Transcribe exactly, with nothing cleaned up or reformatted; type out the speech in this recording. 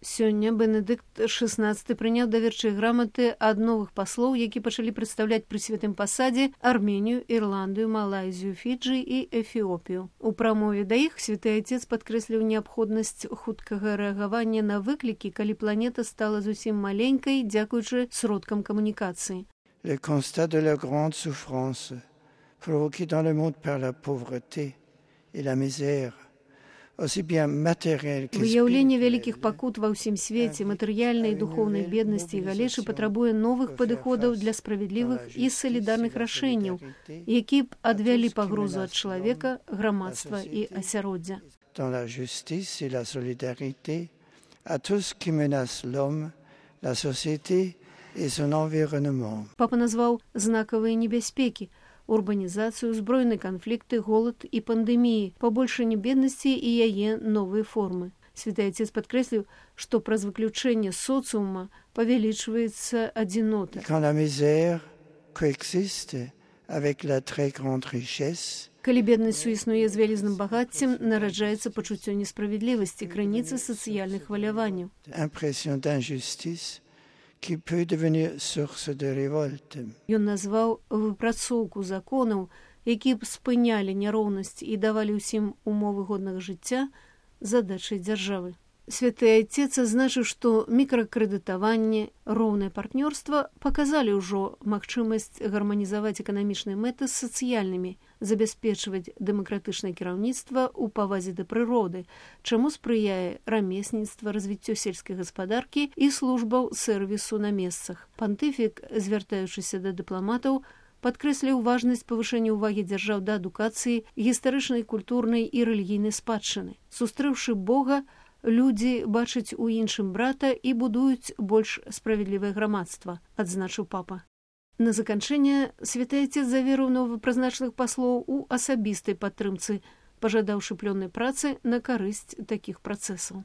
Сёння Бенедыкт шэснаццаты прыняў даверчыя граматы ад новых паслоў, які пачалі прадстаўляць пры святым пасадзе Арменію, Ірландыю, Малайзію, Фіджы і Эфіопію. У прамове да іх святы айцец падкрэсліў неабходнасць хуткага рэагавання на выклікі, калі планета стала зусім маленькай, дзякуючы сродкам камунікацыі. Le constat de la grande souffrance provoquée dans le monde par la pauvreté et la misère. Выяўленне вялікіх пакут ва ўсім свеце, матэрыяльнай і духоўнай беднасці і галечы патрабуе новых падыходаў для справядлівых і салідарных рашэнняў, які б адвялі пагрозу ад чалавека, грамадства і асяроддзя. Dans la justice et la solidarité à tout ce qui menace l'homme, la société et son environnement. Папа назваў знакавыя небяспекі: урбанізацыю, збройныя канфлікты, голад і пандэміі, пабольшанне беднасці і яе новыя формы. Святы айцец падкрэсліў, што праз выключэнне соцыума павялічваецца адзінота. Quand la misère coexiste avec la très grande richesse, калі беднасць суіснуе з вялізным багаццем, нараджаецца пачуццё несправядлівасці, крыніцы сацыяльных хваляванняў. Impression d'injustice qui peut devenir source de révolte. Ён назваў выпрацоўку законаў, які б спынялі няроўнасць і давалі ўсім умовы годнага жыцця, задачай дзяржавы. Святы айцец адзначыў, што мікракрэдытаванне, роўнае партнёрства паказалі ўжо магчымасць гарманізаваць эканамічныя мэты з сацыяльнымі, забяспечваць дэмакратычнае кіраўніцтва ў павазе да прыроды, чаму спрыяе рамесніцтва, развіццё сельскай гаспадаркі і службаў сэрвісу на месцах. Пантыфік, звяртаючыся да дыпламатаў, падкрэсліў важнасць павышэння ўвагі дзяржаў да адукацыі, гістарычнай, культурнай і рэлігійнай спадчыны. Сустрэўшы Бога, людзі бачаць у іншым брата і будуюць больш справядлівае грамадства, адзначыў папа. На заканчэнне святы айцец заверыў новапрызначаных паслоў у асабістай падтрымцы, пажадаўшы плённай працы на карысць такіх працэсаў.